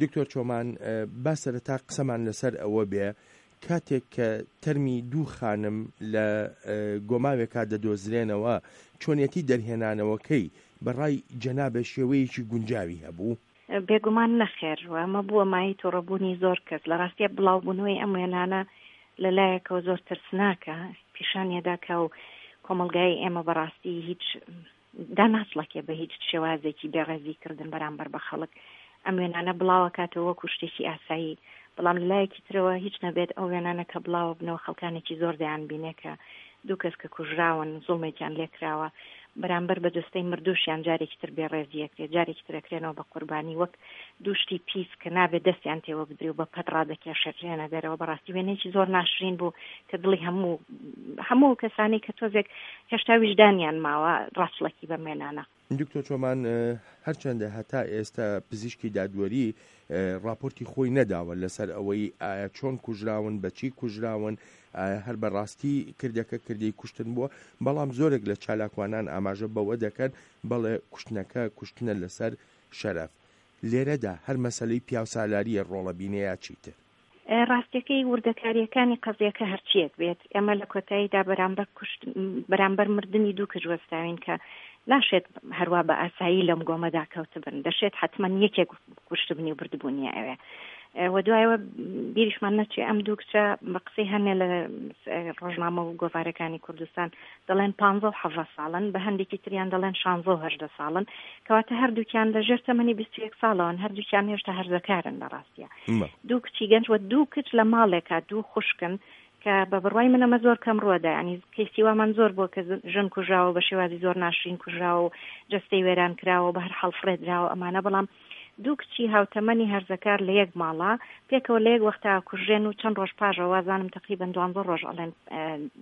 دکتۆر چۆمان با سەرەتا قسەمان لەسەر ئەوە بێ کاتێک کە تەرمی دوو خانم لە گۆماوێکا دەدۆزرێنەوە چۆنیەتی دەرهێنانەوەکەی بە ڕای جەنابت شێوەیەکی گونجاوی هەبوو؟ بێگومان نەخێر و ئەمە بووە مایەی توڕەبوونی زۆر کەس. لە ڕاستیا بڵاوبوونەوەی ئەم وێنانە لە لایەکەوە زۆر ترسناکە، پیشانی ئەدا کە ئەو کۆمەڵگای ئێمە بەڕاستی هیچ داناچڵەکێ بە هیچ شێوازێکی بێڕێزی کردن بەرامبەر بە خەڵک ئەم وێنانە بڵاوەکاتەوە وەکو شتێکی ئاسایی، بەڵام لە لایەکی ترەوە هیچ نەبێت ئەو وێنانە کە بڵاوە بنەوە خەڵکانێکی زۆر دەیان بینێ کە دوو کەس کە کوژراون زوڵمێکیان لێکراوە بەرامبەر بە جەستەی مردووشیان جارێکی تر بێڕێزی ئەکرێ جارێکی تر ئەکرێنەوە بە قوربانی وەک دوو شتی پیس کە نابێت دەستیان تێوە بدرێ و بە پەت ڕادەکێشرێنە دەرەوە بەڕاستی وێنەیەکی زۆر ناشرین بوو کە دڵی هەموو هەموو کەسانی کە تۆزێک هێشتا ویژدانیان ماوە ڕاچڵەکی بەم وێنانە. دکتۆر چۆمان هەرچەندە هەتا ئێستا پزیشکی دادوەری ڕاپۆرتی خۆی نەداوە لەسەر ئەوەی ئایا چۆن کوژراون بەچی کوژراون ئایا هەر بە ڕاستی کردەکە کردەی کوشتن بووە بەڵام زۆرێک لە چالاکوانان ئاماژە بەوە دەکەن بەڵێ کوشتنەکە کوشتنە لەسەر شەرەف لێرەدا هەر مەسەلەی پیاوسالاریە ڕۆڵە بینێ یا چیتر؟ ڕاستیەکەی وردەکاریەکانی قەزیەکە هەرچیەک بێت ئێمە لە کۆتاییدا بەرامبەر کوشت بەرامبەر مردنی دوو کچ وەستاوین کە ناشێت هەروا بە ئاسایی لەم گۆمەدا کەوتبن دەشێت حتمما یەکێک کوشتبنی و بردبوونیە ئەوێ و دوایەوە بیریشمان نەچێ ئەم دوو کچە بە قسەی هەنێ لە ڕۆژنامە و گۆڤارەکانی کوردستان دەڵێن پ و حەڤە ساڵن بە هەندێکی تریان دەڵێن شانزە و هەژدە ساڵن کەواتە هەردووکیان لە ژێر تەمەنی 21 ساڵەوەن هەردووکیان هێشتا هەرزەکارن لە ڕاستە دوو کچی گەنج و دوو کچ لە ماڵێکا دوو خوشکن کە بە بڕوای من ئەمە زۆر کەم ڕووەدا ینی کەیسی وامان زۆر بووە کە ژن کوژراوە بە شێوازی زۆر ناشرین کوژراوە و جەستەی وێران کراوە بە هەر حاڵ فڕێدراوە ئەمانە بەڵام دوو کچی هاوتەمەنی هەرزەکار لە یەک ماڵا پێکەوە لە یەک وەختا کوژرێن و چەند ڕۆژ پاژەوە وازانم تقریبا دوانزە ڕۆژ ئەڵێن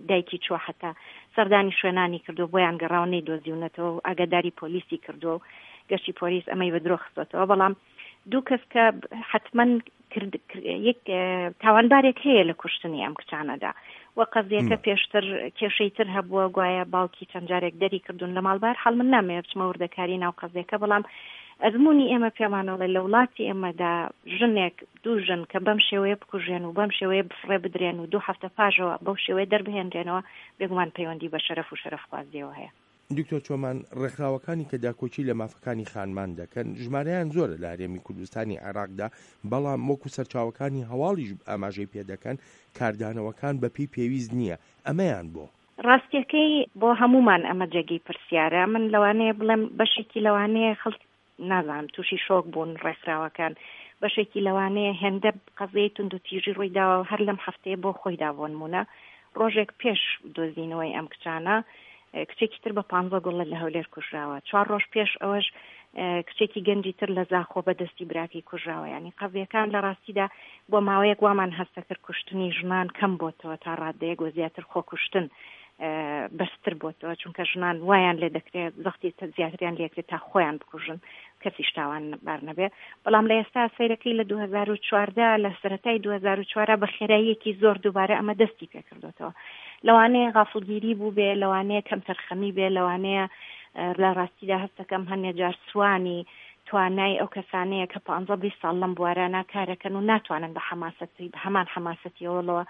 دایکی چووە حتا سەردانی شوێنانی کردو بۆیان گەڕاوە نەیدۆزیونەتەوە و ئاگاداری پۆلیسی کردووە و گەشتی پۆلیس ئەمەی بە درۆ خستۆتەوە بەڵام دوو کەس کە حتمما یەک تاوانبارێک هەیە لە کوشتنی ئەم کچانەدا و قەزیەکە پێشتر کێشەی تر هەبووە گوایە باوکی چەند جارێک دەری کردوون لە ماڵ بار حاڵ من نامەوێ بچمە وردەکاری ناو قەزیەکە بەڵام ئەزمموی ئێمە پێمانەڵێ لە وڵاتی ئێمەدا ژنێک دوو ژن کە بەم شێوەیە بکوژێن و بەم شێوەیە بفڕێ بدرێن و دوو هەفتە پاژەوە بەو شێوەیە دەربهێنرێنەوە بێگومان پەیوەندی بە شەرەف و شەرەفخوازیەوە هەیە. دکتۆر چۆمان، ڕێکخراوەکانی کە داکۆکی لە مافەکانی خانمان دەکەن، ژمارەیان زۆرە لە هەرێمی کوردستانی عێراقدا، بەڵام وەکو سەرچاوەکانی هەواڵیش ئاماژەی پێدەکەن، کاردانەوەکان بەپێی پێویست نییە، ئەمەیان بۆ؟ ڕاستیەکەی بۆ هەموومان ئەمە جێگەی پرسیارە، من لەوانەیە بڵێم بەشێکی لەوانەیە خەڵک نازانم تووشی شۆک بوون ڕێکخراوەکان، بەشێکی لەوانەیە هێندە قەزیەی توندوتیژی ڕوویداوە هەر لەم هەفتەیە بۆ خۆیدا بۆنموونە ڕۆژێک پێش دۆزینەوەی ئەم کچانە کچێکی تر بە پانزە گوڵە لە هەولێر کوژراوە چوار ڕۆژ پێش ئەوەش کچێکی گەنجی تر لە زاخۆ بە دەستی براکەی کوژراوە ینی قەزیەکان لە ڕاستیدا بۆ ماوەیەک وامان هەستەکرد کوشتنی ژنان کەم بۆتەوە تا ڕادەیەک وە زیاتر خۆکوشتن بەستر بۆتەوە چونکە ژنان وایان لێ دەکرێت زەختی زیاتریان لێکرێت تا خۆیان بکوژن کەسیش تاوان بار نەبێ بەڵام لە ئێستا سەیرەکەی لە 2014 لە سەرەتای 2004 بە خێراییەکی زۆر دووبارە ئەمە دەستی پێکردوتەوە لەوانەیە غافڵگیری بوو بێ لەوانەیە کەمتەرخەمی بێ لەوانەیە لە ڕاستیدا هەستەکەم هەنێ جار سوانی توانای ئەو کەسانەیە کە پانزە بیست ساڵ لەم بوارانە کارەکەن و ناتوانن بە حەماسەتی بە هەمان حەماسەتیەوەڵەوە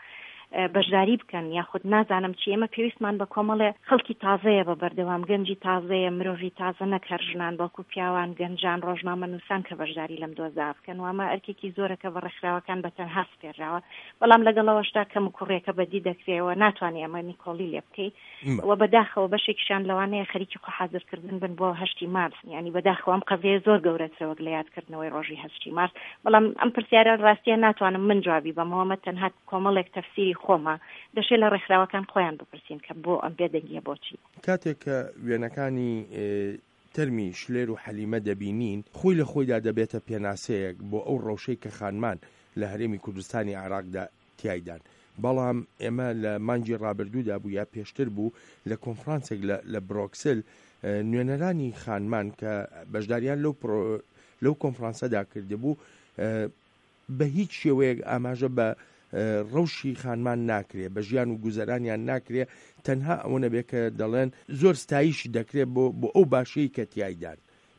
بەشداری بکەن یاخود نازانم چی ئێمە پێویستمان بە کۆمەڵێ خەڵکی تازەیە بە بەردەوام گەنجی تازەیە مرۆڤی تازە نەک هەر ژنان بەڵکو پیاوان گەنجان ڕۆژنامەنووسان کە بەشداری لەم دۆزا بکەن و ئەمە ئەرکێکی زۆرە کە بە ڕێکخراوەکان بە تەنها سپێرراوە بەڵام لەگەڵەوەشدا کەموکوڕیەکە بەدی دەکرێ و ناتوانانی ئەمە نیکۆڵی لێ بکەی و بەداخەوە بەشێکیشیان لەوانەیە خەریکی خۆ حازرکردن بن بۆ هەشتی مارس یانی بەداخەوە ئەم قەزیە زۆر گەورەترە وەک لە یادکردنەوەی ڕۆژی هەشتی مارس بەڵام ئەم پرسیارە ڕاستیە ناتوانم من جوابی بەمەوە ئەمە تەنها کۆمەڵێک تەفسیری خۆمە دەشێ لە ڕێکخراوەکان خۆیان بپرسین کە بۆ ئەم بێدەنگیە بۆچی. کاتێک کە وێنەکانی تەرمی شلێر و حەلیمە دەبینین خۆی لە خۆیدا دەبێتە پێناسەیەک بۆ ئەو ڕەوشەی کە خانمان لە هەرێمی کوردستانی عێراقدا تیایدان بەڵام ئێمە لە مانگی ڕابردوودا بوو یا پێشتر بوو لە کۆنفرانسێک لە لە برۆکسل نوێنەرانی خانمان کە بەشداریان لەو لەو کۆنفرانسەدا کردبوو بە هیچ شێوەیەک ئاماژە بە ڕەوشی خانمان ناکرێ بە ژیان و گوزەرانیان ناکرێ تەنها ئەوە نەبێ کە دەڵێن زۆر ستایش دەکرێت بۆ بۆ ئەو باشەی کە تیایدان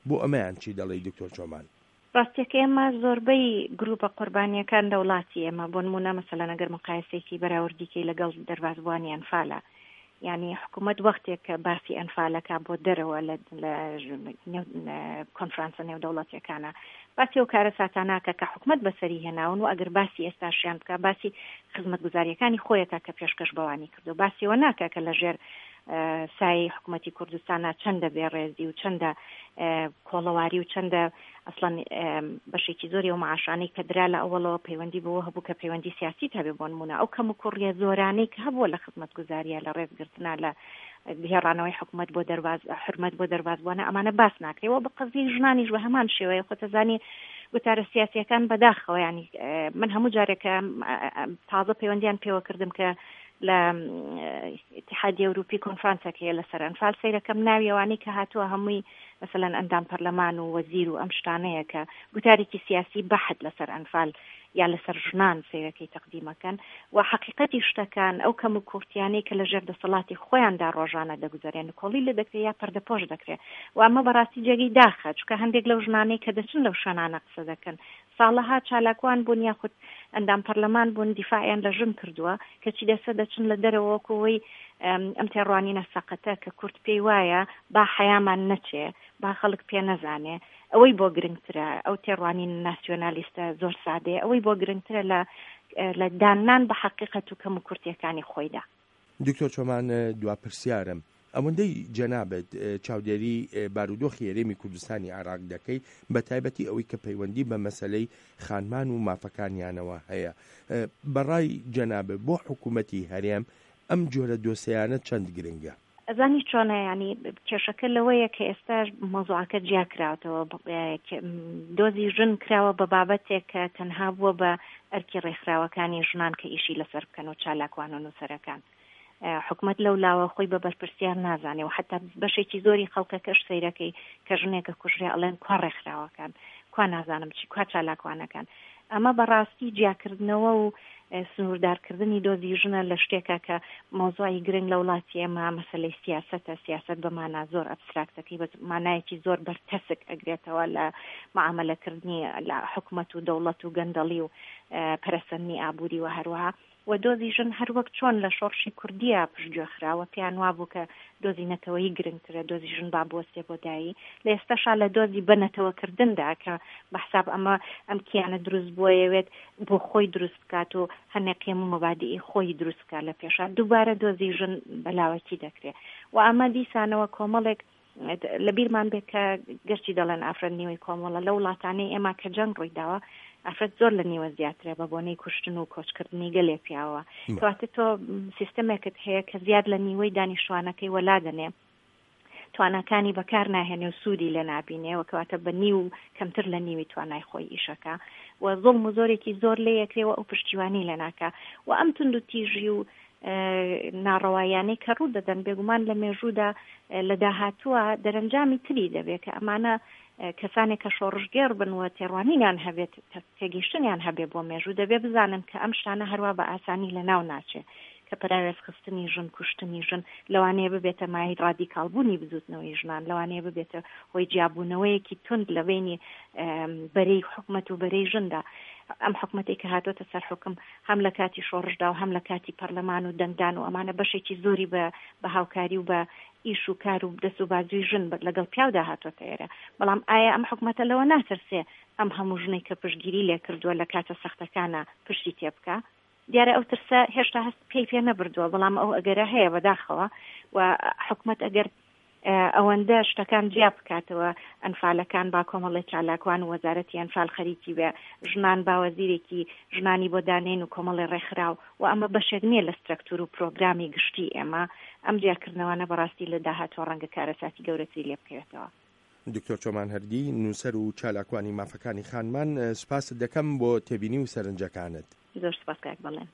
بۆ ئەمەیان چی دەڵێی دکتۆر چۆمان؟ ڕاستیەکەی ئێمە زۆربەی گروپە قوربانیەکان لە وڵاتی ئێمە بۆ نموونە مەسەلەن ئەگەر مقایسەیەکی بەراوردی کەی لەگەڵ دەربازبووانی ئەنفالە یانی حکوومەت وەختێک کە باسی ئەنفالەکە بۆ دەرەوە لە کۆنفرانسە نێودەوڵەتیەکانە باسی ئەو کارەساتاناکە کە حکومەت بەسەری هێناون و ئەگەر باسی ئێستاشیان بکە باسی خزمەتگوزاریەکانی خۆیەکە کە پێشکەش بەوانی کردو باسیەوە ناکە کە لەژێر سایەی حکومەتی کوردستانا چەندە بێ ڕێزی و چەندە کۆڵەواری و چەندە ئەسڵەن بەشێکی زۆری ئەو معاشانەی کە درا لە ئەوەڵەوە پەیوەندی بەوە هەبوو کە پەیوەندی سیاسیت هەبێ بۆ نموونە ئەو کەم و کوڕیە زۆرانەی کە هەبووە لە خزمەتگوزاریە لە ڕێزگرتنا لە گێڕانەوەی حکومەت بۆ دەرباز حرمەت بۆ دەربازبووانە ئەمانە باس ناکرێ و بە قەزیەی ژنانیش بە هەمان شێوەیە خۆتەزانی گوتارە سیاسیەکان بەداخەوە ینی من هەموو جارێکە تازە پەیوەندیان پێوە کردم کە لە ئیتیحادی ئەوروپی کۆنفرانسێک هەیە لەسەر ئەنفال سەیرەکەم ناوی ئەوانەی کە هاتووە هەمووی مەسەلەن ئەندام پەرلەمان و وەزیر و ئەم شتانەیە کە گوتارێکی سیاسی بەحت لەسەر ئەنفال یا لەسەر ژنان سەیرەکەی تەقدیمەکەن و حەقیقەتی شتەکان ئەو کەم و کورتیانەی کە لەژێر دەسەڵاتی خۆیاندا ڕۆژانە دەگوزەرێن نکۆڵی لێ دەکرێ یا پەردەپۆش دەکرێ و ئەمە بەڕاستی جێگەی داخە چونکە هەندێک لەو ژنانەی کە دەچن لەو شوێنانە قسە دەکەن ساڵەها چالاکوان بوون یاخود ئەندام پەرلەمان بوون دیفاعیان لە ژن کردووە کەچی دەسە دەچن لە دەرەوە وەکو ئەوەی ئەم تێڕوانینە سەقەتە کە کورد پێی وایە با حەیامان نەچێ با خەڵک پێ نەزانێ ئەوەی بۆ گرنگترە ئەو تێڕوانینە ناسیۆنالیستە زۆر سادەیە ئەوەی بۆ گرنگترە لە لە داننان بە حەقیقەت و کەموکورتیەکانی خۆیدا. دکتۆر چۆمان دوا پرسیارم ئەوەندەی جەنابت چاودێری بارودۆخی هەرێمی کوردستانی عێراق دەکەی بە تایبەتی ئەوەی کە پەیوەندی بە مەسەلەی خانمان و مافەکانیانەوە هەیە بەڕای جەنابت بۆ حکوومەتی هەرێم ئەم جۆرە دۆسێیانە چەند گرنگە؟ ئەزانی چۆنە یانی کێشەکە لەوەیە کە ئێستاش مەوزوعەکە جیا کراوەتەوە دۆزی ژن کراوە بە بابەتێک کە تەنها بووە بە ئەرکی ڕێکخراوەکانی ژنان کە ئیشی لەسەر بکەن و چالاکوان و نووسەرەکان حکومت لەو لاوە خۆی بە بەرپرسیار نازانێ و حتا بەشێکی زۆری خەڵکەکەش سەیرەکەی کە ژنێکە کوژرێ ئەڵێن کوا ڕێکخراوەکان کوا نازانم چی کوا چالاکوانەکان ئەمە بەڕاستی جیاکردنەوە و سنووردارکردنی دۆزی ژنە لە شتێکە کە مەوزوعی گرنگ لە وڵاتی ئێمە مەسەلەی سیاسەتە، سیاسەت بە مانا زۆر ئەبستراکتەکەی بە مانایەکی زۆر بەرتەسک ئەگرێتەوە لە معامەلەکردنی لە حکومەت و دەوڵەت و گەندەڵی و پەرەسەندنی ئابووری و هەروەها و دۆزی ژن هەر وەک چۆن لە شۆڕشی کوردییە پشتگوێ خرا و پێیان وابوو کە دۆزی نەتەوەیی گرنگترە دۆزی ژن با بوەستێ بۆ دایی لە ئێستاشا لە دۆزی بە نەتەوەکردندا کە بە حساب ئەمە ئەم کیانە دروست بووە یەوێت بۆ خۆی دروست بکات و هەنێ قیەم و مەبادیئی خۆی دروست بکات لە پێشا دووبارە دۆزی ژن بە لاوەکی دەکرێ و ئەمە دیسانەوە کۆمەڵێک لە بیرمان بێت کە گەرچی دەڵێن ئافرەت نیوەی کۆمەڵە لە وڵاتانەی ئێمە کە جەنگ ڕووی داوە ئافرەت زۆر لە نیوە زیاترە بە بۆنەی کوشتن و کۆچکردنی گەلێ پیاوە کەواتە تۆ سیستەمێکت هەیە کە زیاد لە نیوەی دانیشتوانەکەی وەلا دەنێ تواناکانی بەکار ناهێنێ و سوودی لێ نابینێ و کەواتە بە نیو کەمتر لە نیوی توانای خۆی ئیشەکە و زوڵم و زۆرێکی زۆر لێ یەکرێ و ئەو پشتیوانی لێ ناکا و ئەم توندوتیژی و ناڕەواییانەی کە ڕوو دەدەن بێگومان لە مێژوودا لە داهاتووە دەرەنجامی تری دەبێت کە ئەمانە کەسانێک کە شۆڕشگێڕ بن و تێڕوانینیان هەبێت تێگەیشتنیان هەبێ بۆ مێژوو دەبێ بزانن کە ئەم شتانە هەروا بە ئاسانی لە ناو ناچێ کە پەراوێزخستنی ژن، کوشتنی ژن لەوانەیە ببێتە مایەی ڕادیکاڵبوونی بزووتنەوەی ژنان، لەوانەیە ببێتە هۆی جیابوونەوەیەکی توند لە بەینی بەرەی حکومەت و بەرەی ژندا. ئەم حکومەتەی کە هاتۆتە سەر حوکم هەم لە کاتی شۆڕشدا و هەم لە کاتی پەرلەمان و دەنگدان و ئەمانە بەشێکی زۆری بە بە هاوکاری و بە ئیش و کار و دەست و بازووی ژن لەگەڵ پیاودا هاتۆتە ئێرە. بەڵام ئایا ئەم حکومەتە لەوە ناترسێ ئەم هەموو ژنەی کە پشتگیری لێ کردووە لە کاتە سەختەکانا پشتی تێ بکا؟ دیارە ئەو ترسە هێشتا هەست پێی پێ نەبردووە، بەڵام ئەو ئەگەرە هەیە بەداخەوە و حکومەت ئەگەر ئەوەندە شتەکان جیا بکاتەوە ئەنفالەکان با کۆمەڵی چالاکوان و وەزارەتی ئەنفال خەریکی بێ ژنان با وەزیرێکی ژنانی بۆ دانێن و کۆمەڵی ڕێکخراو و ئەمە بەشێک نییە لە سترەکتور و پرۆگرامی گشتی ئێمە ئەم جیاکردنەوانە بەڕاستی لە داهاتووە ڕەنگە کارەساتی گەورەتری لێ بکەوێتەوە. دکتۆر چۆمان هەردی، نووسەر و چالاکوانی مافەکانی خانمان، سوپاست دەکەم بۆ تێبینی و سەرنجەکانت. زۆر سوپاس کاک بەڵێن.